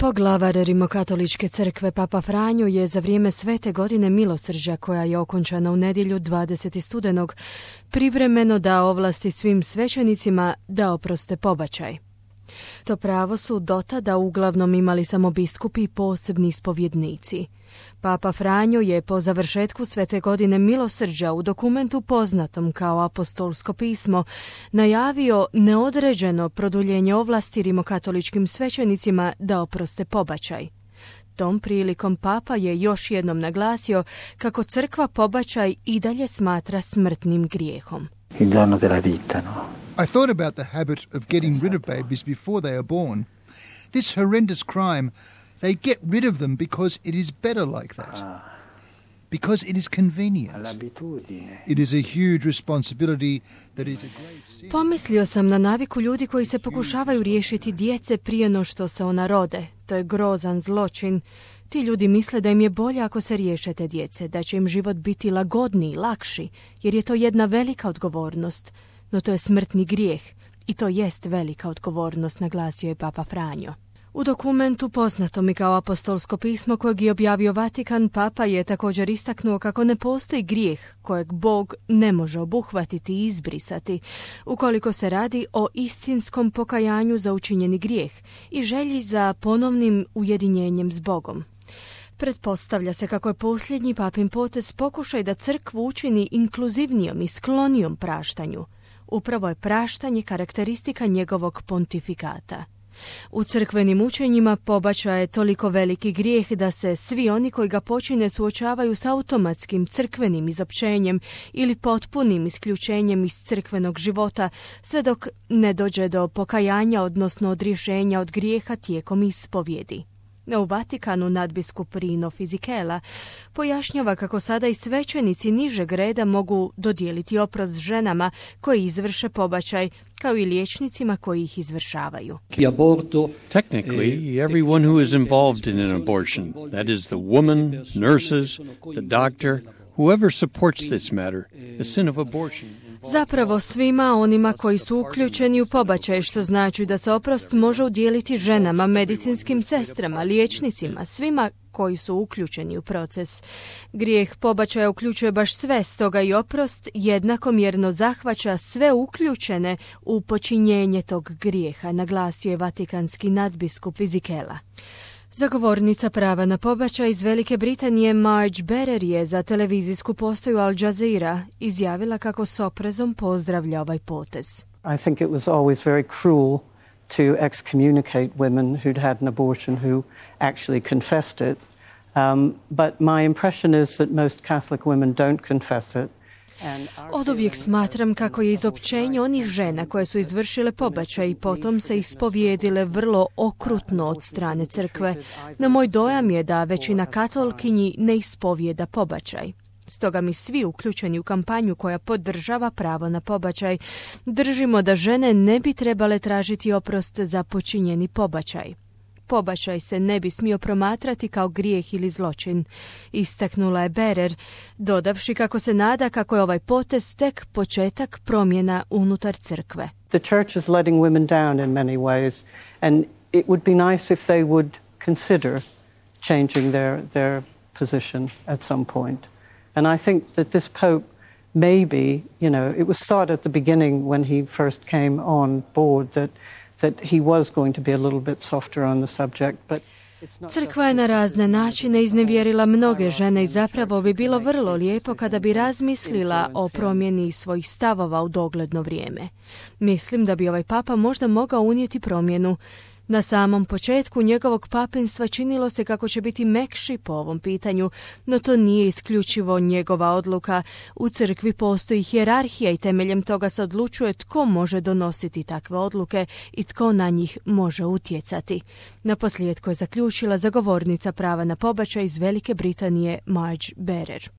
Poglavar Rimokatoličke crkve Papa Franjo je za vrijeme Svete godine milosrđa, koja je okončana u nedjelju 20. studenog, privremeno dao ovlasti svim svećenicima da oproste pobačaj. To pravo su dotada uglavnom imali samo biskupi i posebni ispovjednici. Papa Franjo je po završetku Svete godine milosrđa u dokumentu poznatom kao apostolsko pismo najavio neodređeno produljenje ovlasti rimokatoličkim svećenicima da oproste pobačaj. Tom prilikom Papa je još jednom naglasio kako crkva pobačaj i dalje smatra smrtnim grijehom. Il dono della vita, no? I thought about the habit of getting rid of babies before they are born. This horrendous crime, they get rid of them because it is better like that. Because it is convenient. It is a huge responsibility that is a great sin. Pomislio sam na naviku ljudi koji se pokušavaju riješiti djece prije no što se ona rode. To je grozan zločin. Ti ljudi misle da im je bolje ako se riješe te djece, da će im život biti lagodniji, lakši, jer je to jedna velika odgovornost. No to je smrtni grijeh i to jest velika odgovornost, naglasio je Papa Franjo. U dokumentu poznatom i kao apostolsko pismo kojeg je objavio Vatikan, Papa je također istaknuo kako ne postoji grijeh kojeg Bog ne može obuhvatiti i izbrisati, ukoliko se radi o istinskom pokajanju za učinjeni grijeh i želji za ponovnim ujedinjenjem s Bogom. Pretpostavlja se kako je posljednji papin potez pokušaj da crkvu učini inkluzivnijom i sklonijom praštanju. Upravo je praštanje karakteristika njegovog pontifikata. U crkvenim učenjima pobačaj je toliko veliki grijeh da se svi oni koji ga počine suočavaju s automatskim crkvenim izopćenjem ili potpunim isključenjem iz crkvenog života, sve dok ne dođe do pokajanja, odnosno odrješenja od grijeha tijekom ispovjedi. U Vatikanu nadbiskup Rino Fisichella pojašnjava kako sada i svećenici nižeg reda mogu dodijeliti oprost ženama koji izvrše pobačaj, kao i liječnicima koji ih izvršavaju. Technically, everyone who is involved in an abortion, that is the woman, nurses, the doctor, whoever supports this matter, the sin of abortion. Zapravo svima onima koji su uključeni u pobačaj, što znači da se oprost može udijeliti ženama, medicinskim sestrama, liječnicima, svima koji su uključeni u proces. Grijeh pobačaja uključuje baš sve, stoga i oprost jednakomjerno zahvaća sve uključene u počinjenje tog grijeha, naglasio je vatikanski nadbiskup Fisichella. Zagovornica prava na pobačaj iz Velike Britanije Marge Berer je za televizijsku postaju Al Jazeera izjavila kako s oprezom pozdravlja ovaj potez. I think it was always very cruel to excommunicate women who'd had an abortion who actually confessed it. But my impression is that most Catholic women don't confess it. Oduvijek smatram kako je izopćenje onih žena koje su izvršile pobačaj i potom se ispovijedile vrlo okrutno od strane crkve. No moj dojam je da većina katolkinji ne ispovijeda pobačaj. Stoga mi svi uključeni u kampanju koja podržava pravo na pobačaj držimo da žene ne bi trebale tražiti oprost za počinjeni pobačaj. Pobačaj se ne bi smio promatrati kao grijeh ili zločin, istaknula je Berer, dodavši kako se nada kako je ovaj potez tek početak promjena unutar crkve. The church is letting women down in many ways, and it would be nice if they would consider changing their position at some point. And I think that this pope maybe, it was thought at the beginning when he first came on board that he was going to be a little bit softer on the subject, but Crkva je na razne načine iznevjerila mnoge žene i zapravo bi bilo vrlo lijepo kada bi razmislila o promjeni svojih stavova u dogledno vrijeme. Mislim da bi ovaj papa možda mogao unijeti promjenu. Na samom početku njegovog papinstva činilo se kako će biti mekši po ovom pitanju, no to nije isključivo njegova odluka. U crkvi postoji hijerarhija i temeljem toga se odlučuje tko može donositi takve odluke i tko na njih može utjecati. Naposljetku je zaključila zagovornica prava na pobačaj iz Velike Britanije Marge Berer.